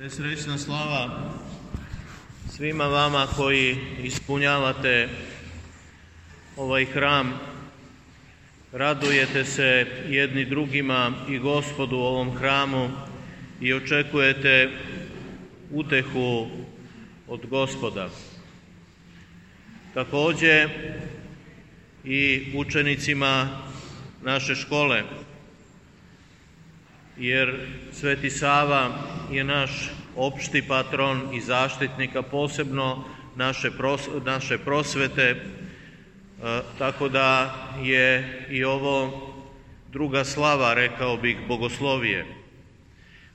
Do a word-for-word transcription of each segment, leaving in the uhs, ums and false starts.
Srećna slava svima vama koji ispunjavate ovaj hram, radujete se jedni drugima i Gospodu u ovom hramu i očekujete utehu od Gospoda. Također i učenicima naše škole, jer Sveti Sava je naš opšti patron i zaštitnik, a posebno naše, pros, naše prosvete, e, tako da je i ovo druga slava, rekao bih, bogoslovije,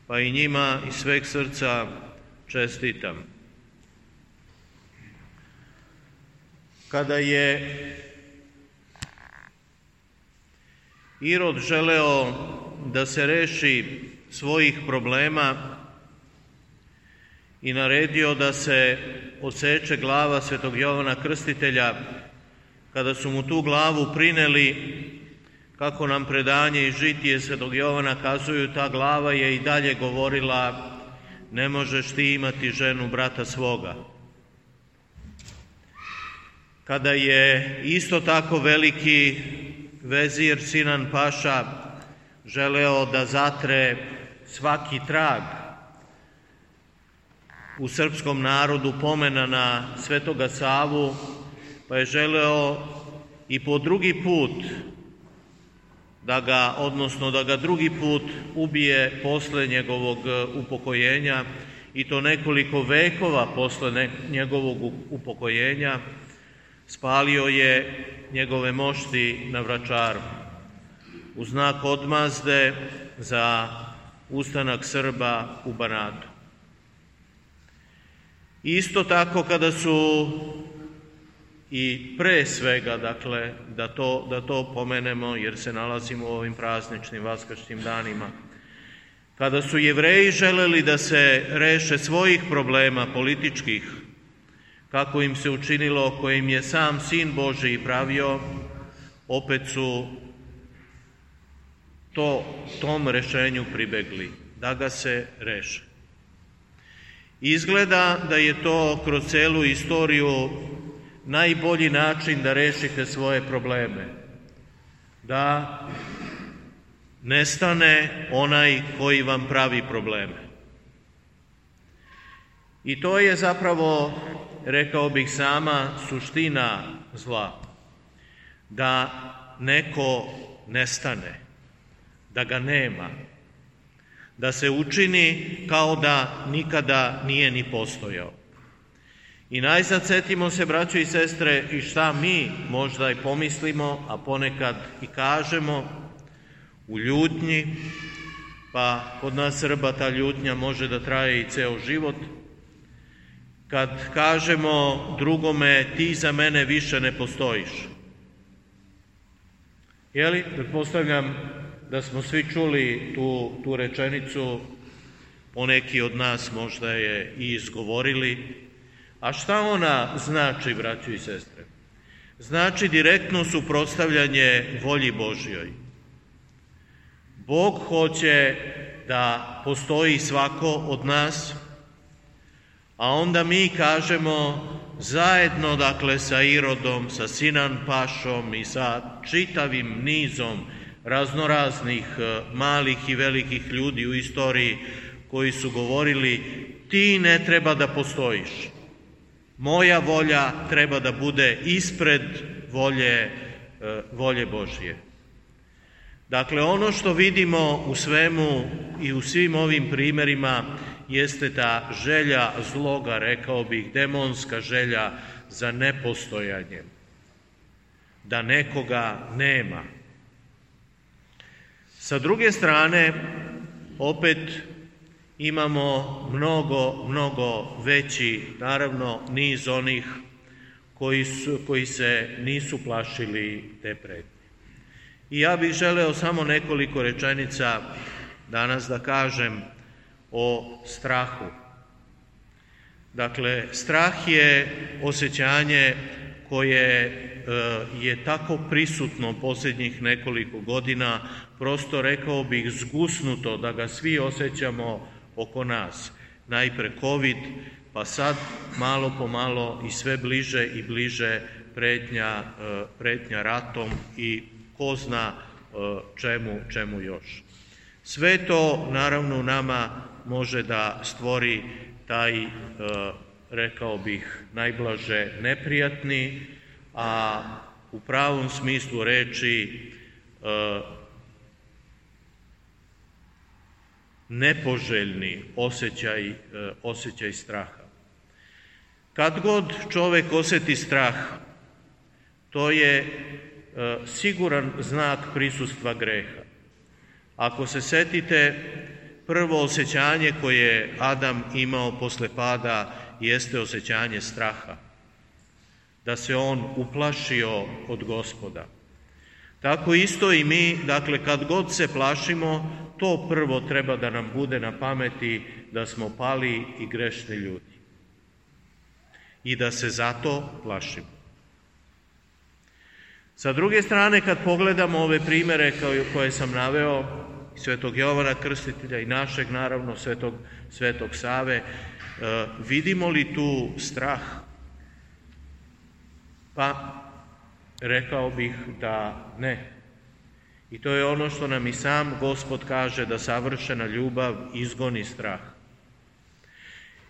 pa i njima iz sveg srca čestitam. Kada je Irod želeo da se reši svojih problema i naredio da se odseče glava Svetog Jovana Krstitelja, kada su mu tu glavu prineli, kako nam predanje i žitije Svetog Jovana kazuju, ta glava je i dalje govorila: ne možeš ti imati ženu brata svoga. Kada je isto tako veliki vezir Sinan Paša želeo da zatre svaki trag u srpskom narodu pomena na Svetoga Savu, pa je želeo i po drugi put da ga, odnosno da ga drugi put ubije posle njegovog upokojenja, i to nekoliko vekova posle njegovog upokojenja, spalio je njegove mošti na Vračaru u znak odmazde za ustanak Srba u Banatu. Isto tako kada su i pre svega, dakle, da to, da to pomenemo jer se nalazimo u ovim prazničnim vaskršnjim danima, kada su Jevreji želeli da se reše svojih problema političkih, kako im se učinilo, koje im je sam Sin Božiji pravio, opet su to, tom rešenju pribegli, da ga se reše. Izgleda da je to kroz celu istoriju najbolji način da rešite svoje probleme, da nestane onaj koji vam pravi probleme. I to je zapravo, rekao bih, sama suština zla, da neko nestane, da ga nema, da se učini kao da nikada nije ni postojao. I najzad setimo se, braćo i sestre, i šta mi možda i pomislimo, a ponekad i kažemo u ljutnji, pa kod nas Srba ta ljutnja može da traje i ceo život, kad kažemo drugome: ti za mene više ne postojiš. Jeli, pretpostavljam da smo svi čuli tu, tu rečenicu, poneki od nas možda je i izgovorili. A šta ona znači, braćo i sestre? Znači direktno suprotstavljanje volji Božjoj. Bog hoće da postoji svako od nas, a onda mi kažemo zajedno, dakle, sa Irodom, sa Sinan Pašom i sa čitavim nizom raznoraznih malih i velikih ljudi u istoriji koji su govorili: ti ne treba da postojiš, moja volja treba da bude ispred volje, volje Božje. Dakle, ono što vidimo u svemu i u svim ovim primerima jeste ta želja zloga, rekao bih, demonska želja za nepostojanjem, da nekoga nema. Sa druge strane, opet imamo mnogo, mnogo veći, naravno, niz onih koji, su, koji se nisu plašili te pretnje. I ja bih želeo samo nekoliko rečenica danas da kažem o strahu. Dakle, strah je osjećanje koje je tako prisutno posljednjih nekoliko godina, prosto rekao bih zgusnuto da ga svi osjećamo oko nas. najpre covid, pa sad malo po malo i sve bliže i bliže pretnja, pretnja ratom i ko zna čemu, čemu još. Sve to naravno u nama može da stvori taj, rekao bih, najblaže neprijatni, a u pravom smislu reči nepoželjni osjećaj, osjećaj straha. Kad god čovjek osjeti strah, to je siguran znak prisustva greha. Ako se setite, prvo osjećanje koje je Adam imao posle pada jeste osjećanje straha, da se on uplašio od Gospoda. Tako isto i mi, dakle, kad god se plašimo, to prvo treba da nam bude na pameti da smo pali i grešni ljudi i da se zato plašimo. Sa druge strane, kad pogledamo ove primere koje sam naveo, Svetog Jovana Krstitelja i našeg, naravno, Svetog, Svetog Save, vidimo li tu strah? Pa, rekao bih da ne. I to je ono što nam i sam Gospod kaže, da savršena ljubav izgoni strah.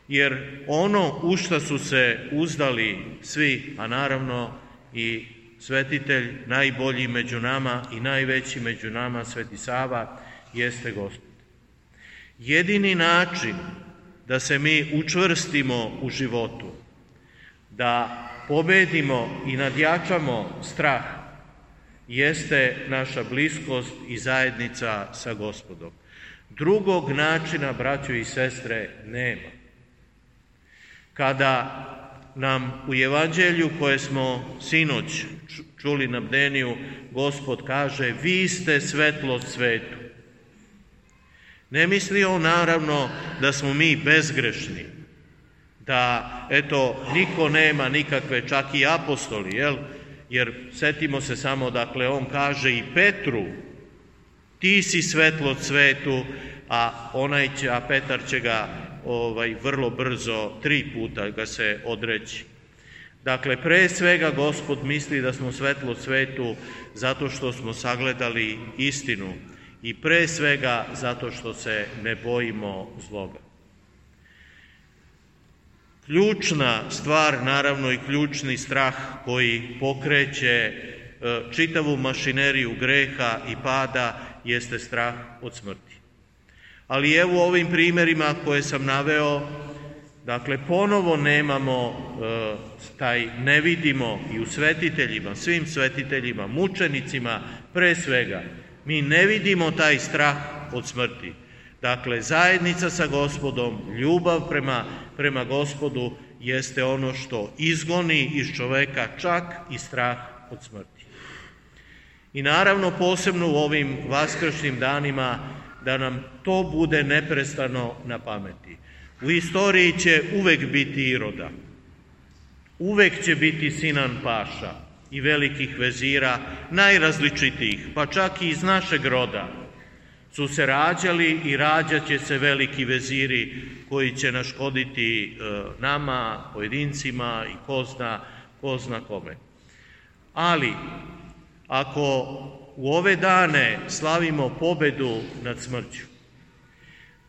Jer ono u šta su se uzdali svi, a naravno i svetitelj, najbolji među nama i najveći među nama, Sveti Sava, jeste Gospod. Jedini način da se mi učvrstimo u životu, da pobedimo i nadjačamo strah, jeste naša bliskost i zajednica sa Gospodom. Drugog načina, braćo i sestre, nema. Kada nam u Evanđelju koje smo sinoć čuli na bdeniju, Gospod kaže: vi ste svetlost svetu. Ne misli on naravno da smo mi bezgrešni, da eto niko nema nikakve, čak i apostoli, jel? Jer setimo se samo, dakle, on kaže i Petru: ti si svetlost svetu, a onaj će, a Petar će ga ovaj, vrlo brzo, tri puta ga se odreći. Dakle, pre svega Gospod misli da smo svetlost svetu zato što smo sagledali istinu i pre svega zato što se ne bojimo zloga. Ključna stvar, naravno, i ključni strah koji pokreće čitavu mašineriju greha i pada jeste strah od smrti. Ali evo u ovim primjerima koje sam naveo, dakle, ponovo nemamo taj, ne vidimo i u svetiteljima, svim svetiteljima, mučenicima pre svega, mi ne vidimo taj strah od smrti. Dakle, zajednica sa Gospodom, ljubav prema, prema Gospodu jeste ono što izgoni iz čoveka čak i strah od smrti. I naravno posebno u ovim vaskršnjim danima da nam to bude neprestano na pameti. U istoriji će uvek biti Iroda, uvek će biti Sinan Paša i velikih vezira, najrazličitijih, pa čak i iz našeg roda su se rađali i rađat će se veliki veziri koji će naškoditi nama, pojedincima i ko zna, ko zna kome. Ali, ako u ove dane slavimo pobedu nad smrću,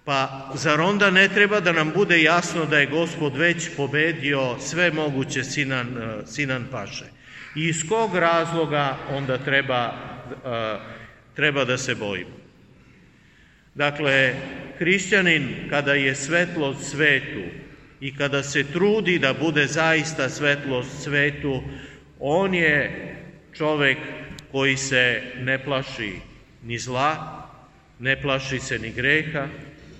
pa zar onda ne treba da nam bude jasno da je Gospod već pobedio sve moguće Sinan, Sinan Paše? I iz kog razloga onda treba, treba da se bojimo? Dakle, hrišćanin kada je svetlost svetu i kada se trudi da bude zaista svetlost svetu, on je čovek koji se ne plaši ni zla, ne plaši se ni greha,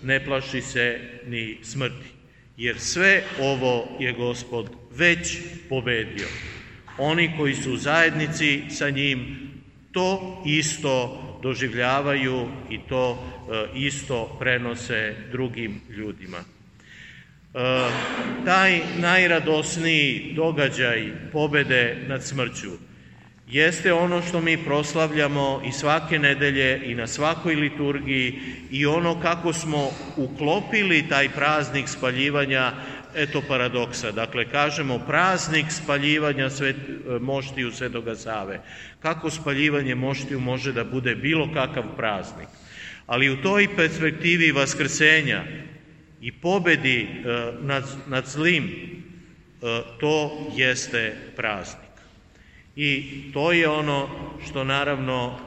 ne plaši se ni smrti. Jer sve ovo je Gospod već pobedio. Oni koji su u zajednici sa njim to isto doživljavaju i to isto prenose drugim ljudima. Taj najradosniji događaj pobede nad smrću jeste ono što mi proslavljamo i svake nedelje i na svakoj liturgiji i ono kako smo uklopili taj praznik spaljivanja, eto paradoksa. Dakle, kažemo praznik spaljivanja svet, moštiju Svetoga Save. Kako spaljivanje moštiju može da bude bilo kakav praznik? Ali u toj perspektivi vaskrsenja i pobedi nad, nad zlim, to jeste praznik. I to je ono što naravno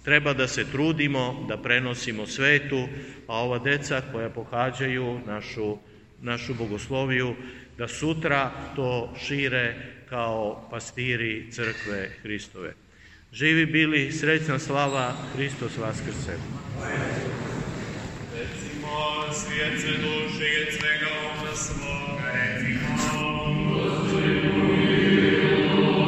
treba da se trudimo, da prenosimo svetu, a ova deca koja pohađaju našu, našu bogosloviju, da sutra to šire kao pastiri crkve Hristove. Živi bili, srećna slava, Hristos vaskrse. Recimo, svijet se duši, svega ona svoga,